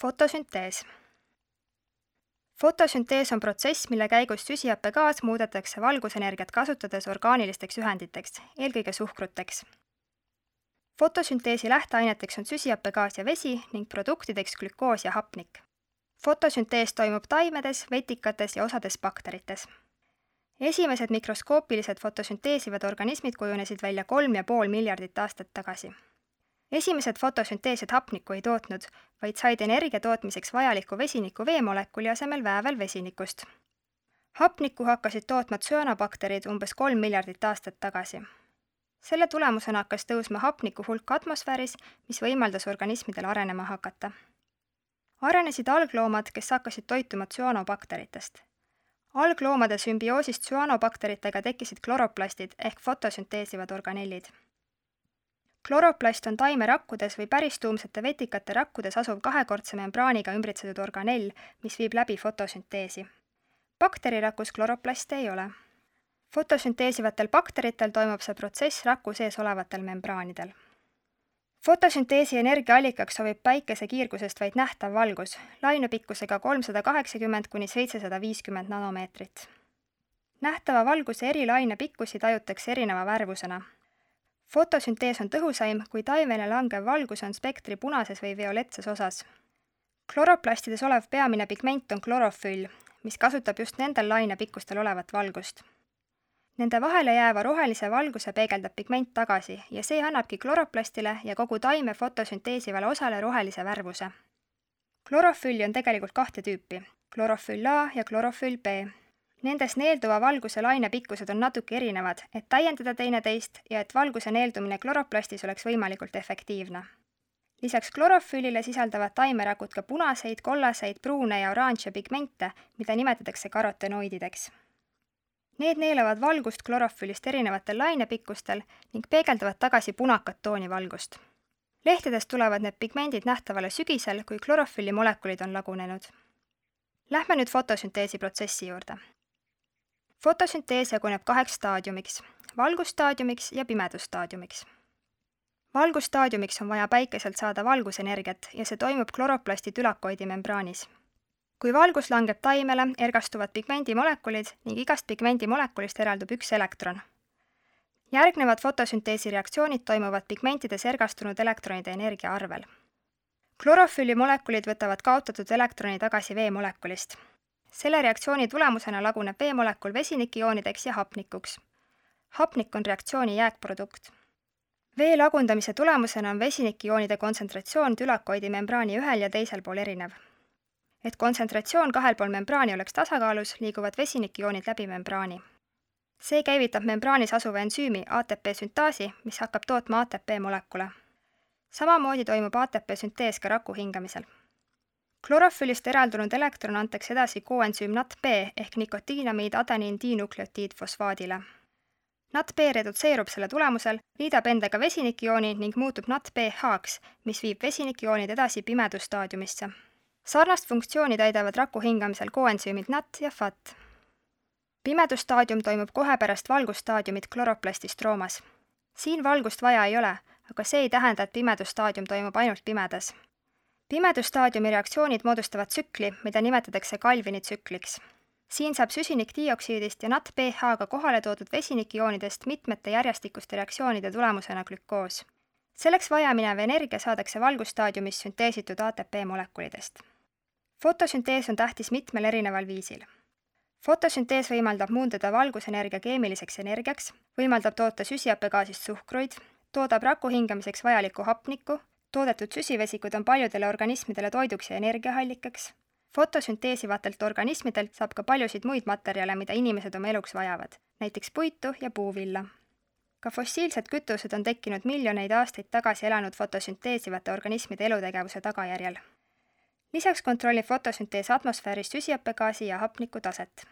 Fotosüntees. Fotosüntees on protsess, mille käigus süsihappegaas muudetakse valgusenergiat kasutades orgaanilisteks ühenditeks, eelkõige suhkruteks. Fotosünteesi lähteaineteks on süsihappegaas ja vesi ning produktideks glükoos ja hapnik. Fotosüntees toimub taimedes, vetikates ja osades bakterites. Esimesed mikroskoopilised fotosünteesivad organismid kujunesid välja 3,5 miljardit aastat tagasi. Esimesed fotosünteesijad hapnikku ei tootnud, vaid said energia tootmiseks vajaliku vesiniku veemolekuli asemel väävel vesinikust. Hapnikku hakkasid tootma tsüanobakterid umbes 3 miljardit aastat tagasi. Selle tulemusena hakkas tõusma hapniku hulk atmosfääris, mis võimaldas organismidel arenema hakata. Arenesid algloomad, kes hakkasid toituma tsüanobakteritest. Algloomade sümbioosist tsüanobakteritega tekkisid kloroplastid ehk fotosünteesivad organellid. Kloroplast on taimerakkudes või päristuumsete vetikate rakkudes asuv kahekordse membraaniga ümbritsetud organell, mis viib läbi fotosünteesi. Bakterirakus kloroplaste ei ole. Fotosünteesivatel bakteritel toimub see protsess raku sees olevatel membraanidel. Fotosünteesi energiaallikaks sobib päikese kiirgusest vaid nähtav valgus, lainepikkusega 380–750 nanomeetrit. Nähtava valguse eri lainepikkusi tajutakse erineva värvusena. Fotosüntees on tõhusaim, kui taimele langev valgus on spektri punases või violettses osas. Kloroplastides olev peamine pigment on klorofüll, mis kasutab just nendel lainepikkustel olevat valgust. Nende vahele jääva rohelise valguse peegeldab pigment tagasi ja see annabki kloroplastile ja kogu taime fotosünteesivale osale rohelise värvuse. Klorofülli on tegelikult 2 tüüpi, klorofüll A ja klorofüll B. Nendes neelduva valguse lainepikkused on natuke erinevad, et täiendada teineteist ja et valguse neeldumine kloroplastis oleks võimalikult efektiivne. Lisaks klorofüllile sisaldavad taimerakud ka punaseid, kollaseid, pruune ja oranže pigmente, mida nimetatakse karotenoidideks. Need neelavad valgust klorofüllist erinevatel lainepikkustel ning peegeldavad tagasi punakat tooni valgust. Lehtedest tulevad need pigmendid nähtavale sügisel, kui klorofülli molekulid on lagunenud. Lähme nüüd fotosünteesi protsessi juurde. Fotosüntees jaguneb 2 staadiumiks, valgusstaadiumiks ja pimedusstaadiumiks. Valgusstaadiumiks on vaja päikeselt saada valgusenergiat ja see toimub kloroplasti tülakoidi membraanis. Kui valgus langeb taimele, ergastuvad pigmendimolekulid ning igast pigmendimolekulist eraldub 1 elektron. Järgnevad fotosünteesi reaktsioonid toimuvad pigmentides ergastunud elektronide energia arvel. Klorofülli molekulid võtavad kaotatud elektroni tagasi veemolekulist. Selle reaktsiooni tulemusena laguneb veemolekul vesinikioonideks ja hapnikuks. Hapnik on reaktsiooni jääkprodukt. Vee lagundamise tulemusena on vesinikioonide kontsentratsioon tülakoidi membraani ühel ja teisel pool erinev. Et kontsentratsioon kahel pool membraani oleks tasakaalus, liiguvad vesinikioonid läbi membraani. See käivitab membraanis asuva ensüümi ATP süntaasi, mis hakkab tootma ATP molekule. Samamoodi toimub ATP süntees ka raku hingamisel. Klorofüllist eraldunud elektron antakse edasi koensüüm NADP ehk nikotiinamiid adeniin dinukleotiidfosfaadile. NADP redutseerub selle tulemusel, liidab endaga vesinikiooni ning muutub NADPH-ks, mis viib vesinikioonid edasi pimedusstaadiumisse. Sarnast funktsiooni täidavad raku hingamisel koensüümid NAT ja FAT. Pimedusstaadium toimub kohe pärast valgusstaadiumit kloroplasti stroomas. Siin valgust vaja ei ole, aga see ei tähenda, et pimedusstaadium toimub ainult pimedas. Pimedusstaadiumi reaktsioonid moodustavad tsükli, mida nimetatakse Calvini tsükliks. Siin saab süsinikdioksiidist ja NADPH-ga kohale toodud vesinikioonidest mitmete järjestikuste reaktsioonide tulemusena glükoos. Selleks vajaminev energia saadakse valgusstaadiumis sünteesitud ATP molekulidest. Fotosüntees on tähtis mitmel erineval viisil. Fotosüntees võimaldab muundada valgusenergia keemiliseks energiaks, võimaldab toota süsihappegaasist suhkruid, toodab raku hingamiseks vajalikku hapnikku, toodetud süsivesikud on paljudele organismidele toiduks ja energiahallikaks. Fotosünteesivatelt organismidelt saab ka paljusid muid materjale, mida inimesed oma eluks vajavad, näiteks puitu ja puuvilla. Ka fossiilsed kütused on tekkinud miljoneid aastaid tagasi elanud fotosünteesivate organismide elutegevuse tagajärjel. Lisaks kontrollib fotosüntees atmosfääris süsihappegaasi ja hapniku taset.